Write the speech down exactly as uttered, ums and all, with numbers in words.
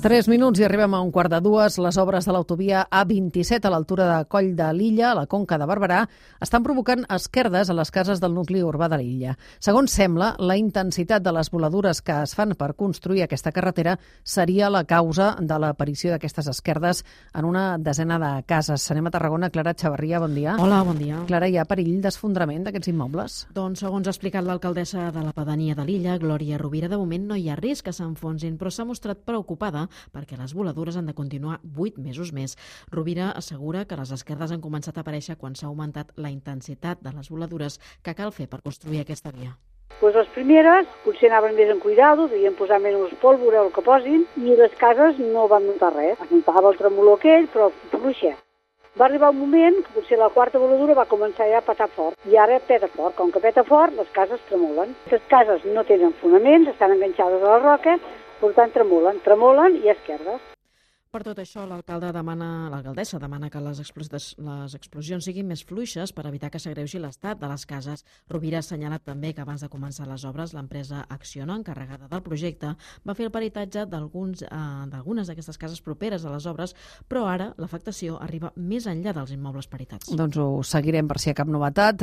Tres minuts i arribem a un quart de dues. Les obres de l'autovia A vint-i-set a l'altura de Coll de l'Illa, a la Conca de Barberà, estan provocant esquerdes a les cases del nucli urbà de l'illa. Segons sembla, la intensitat de les voladures que es fan per construir aquesta carretera seria la causa de l'aparició d'aquestes esquerdes en una desena de cases. Anem a Tarragona. Clara Xavarria, bon dia. Hola, bon dia. Clara, hi ha perill d'esfondrament d'aquests immobles? Doncs, segons ha explicat l'alcaldessa de la pedania de l'illa, Glòria Rovira, de moment no hi ha risc que s'enfonsin, però s'ha mostrat preocupada perquè les voladures han de continuar vuit mesos més. Rovira assegura que les esquerdes han començat a aparèixer quan s'ha augmentat la intensitat de les voladures que cal fer per construir aquesta via. Pues les primeres potser anaven més en cuidado, devien posar menys pólvora o el que posin, i les cases no van notar res. Es notava el tremolor aquell, però fluixet. Va arribar un moment que potser la quarta voladura va començar ja a petar fort, i ara peta fort. Com que peta fort, les cases tremolen. Les cases no tenen fonaments, estan enganxades a la roca, per tant tremolen, tremolen i esquerdes. Per tot això, l'alcalde demana, l'alcaldessa demana que les, explos les explosions siguin més fluixes per evitar que s'agreugi l'estat de les cases. Rovira ha assenyalat també que abans de començar les obres, l'empresa Acciona, encarregada del projecte, va fer el peritatge d'algunes eh, d'aquestes cases properes a les obres, però ara l'afectació arriba més enllà dels immobles peritats. Doncs ho seguirem per si hi ha cap novetat.